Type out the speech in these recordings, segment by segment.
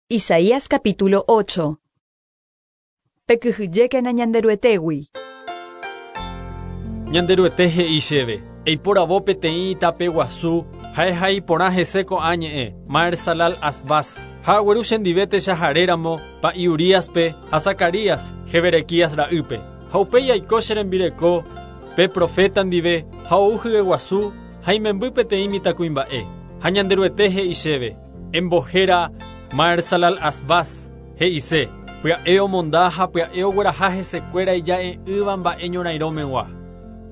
Isaías capítulo 8. Pekyhyjékena Ñanderuetégui. Ñanderuete he'i chéve, Eiporavo peteĩ itape guasu ha ehai porã hese ko'ã ñe'ẽ, Maher-salal Asbaz. Ha agueru chendive techaharéramo pa'i Uríaspe ha Zacarías, Jeberequías ra'ýpe. Ha upéi aiko che rembireko pe proféta ndive ha ou hyeguasu ha imemby peteĩ mitãkuimba'e. Ha Ñanderuete he'i chéve, Embohéra Maher-salal-Asbaz, he'ise, Pya'e omonda ha pya'e ogueraha hesekuéra ija'e'ỹva mba'e ñorairõ megua.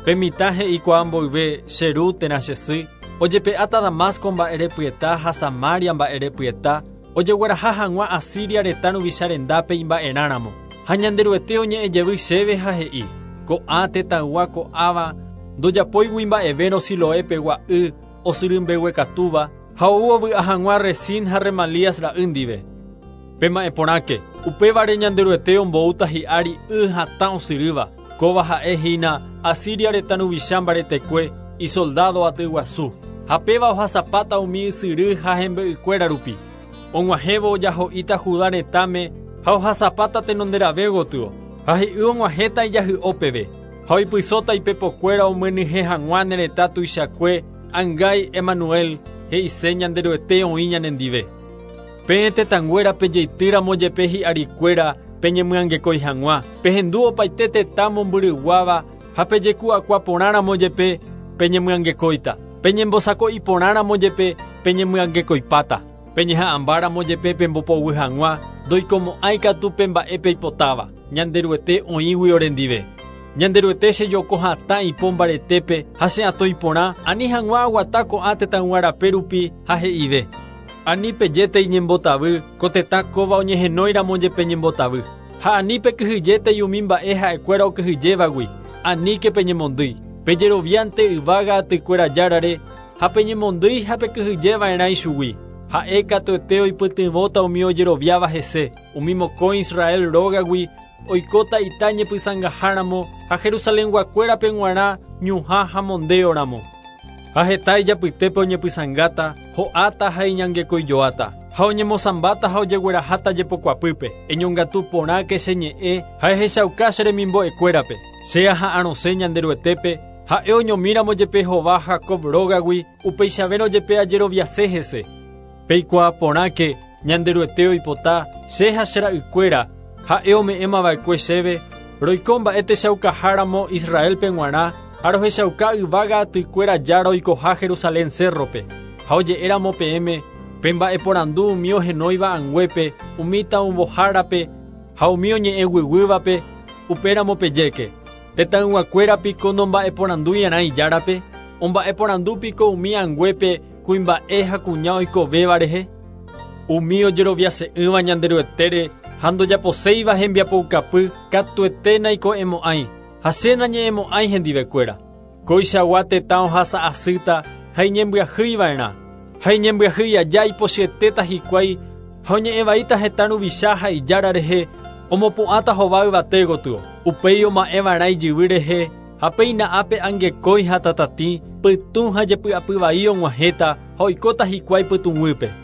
Pe mitã he'ikuaa mboyve che ru térã che sy, ojepe'áta Damasco mba'erepyeta ha Samaria mba'erepyeta, ojegueraha hag̃ua Asiria retã ruvicha rendápe imba'erã ramo. Ha Ñanderuete oñe'ẽ jevy chéve ha he'i, Ko'ã tetãygua ko'ãva ndojapóigui mba'evérõ Siloé pegua y osyry mbeguekatúva, Ha ou ovy'a hag̃ua Rezín ha Remalías ra'y ndive. Pema'ẽ porãke, upévare Ñanderuete omboúta hi'ári y hatã osyrýva, kóva ha'e hína Asiria retã ruvicha mbaretekue, isoldádo aty guasu, ha péva ohasapáta umi ysyry ha hembe'ykuéra rupi. Og̃uahẽvo ojaho'íta Judá retãme ha ohasapáta tenonderave gotyo, ha hi'y og̃uahẽta ijahy'o peve, ha oipysóta ipepokuéra omyenyhẽ hag̃ua ne retã tuichakue, Angái Emanuel, he'ise Ñanderuete oĩ ñanendive. Peẽ tetãnguéra pejeitýramo jepe hi'arikuéra peñemyangekói hag̃ua, pehendu opaite tetã mombyryguáva ha pejeku'akua porãramo jepe peñemyangekóita, peñembosako'i porãramo jepe peñemyangekoipáta, peñeha'ãmbáramo jepe pembopoguy hag̃ua, ndoikomo'ãi katu pe mba'e peipotáva, Ñanderuete oĩgui orendive. Ñanderuete chejoko hatã ipo mbaretépe ha che atõi porã, ani hag̃ua aguata ko'ã tetãygua rape rupi ha he'ive, Ani pejétei ñembotavy, ko tetã kóva oñehenói ramo jepe ñembotavy. Ha ani pekyhyjétei umi mba'e ha'ekuéra okyhyjévagui, aníke peñemondýi. Pejeroviánte yvága atykuéra Járare ha peñemondýi ha pekyhyje va'erã ichugui. Ha'e katuete oipytyvõta umi ojeroviáva hese, umi mokõi Israel rógagui Oikóta ita ñepysãngaháramo ha Jerusalenguakuérape g̃uarã ñuhã ha mondéoramo. Ha heta ijapytépe oñepysãngáta, ho'áta ha iñangekoijoáta, ha oñemosãmbáta ha ojegueraháta jepokuapýpe. Eñongatu porãke che ñe'ẽ ha ehechauka che remimbo'ekuérape. Che aha'arõse Ñanderuetépe, ha'e oñomíramo jepe hova Jacob rógagui, upeichavérõ jepe ajeroviase hese. Peikuaa porãke, Ñanderuete oipota, che ha che ra'ykuéra, ha'e ome'ẽmava'ekue chéve, roiko mba'e techaukaha ramo Israélpe g̃uarã ha rohechauka yvága atykuéra Jára oikoha Jerusalén cérrope. Ha oje'e ramo peẽme, Pemba'eporandu umi ohenóiva anguépe, umi taũvohárape ha umi oñe'ẽ guyguývape, upéramo pejéke, Tetãyguakuéra piko nomba'eporandui'arã Ijárape? Omba'eporandu piko umi anguépe kuimba'e ha kuña oikovéva rehe? Umi ojeroviase'ỹva Ñanderuetére ha ndojaposéiva hembiapoukapy katuete naiko'ẽmo'ãi, ha che nañe'ẽmo'ãi hendivekuéra. Koichagua tetã ohasa asýta ha iñembyahýi va'erã, ha iñembyahýi aja ipochyetéta hikuái ha oñe'ẽ vaíta hetã ruvicha ha ijára rehe, omopu'ãta hova yvate gotyo. Upéi oma'ẽ va'erã ijyvy rehe ha péina ápe angekói ha tatatĩ, pytũ ha jepy'apy vai og̃uahẽta ha oikóta hikuái pytũguýpe.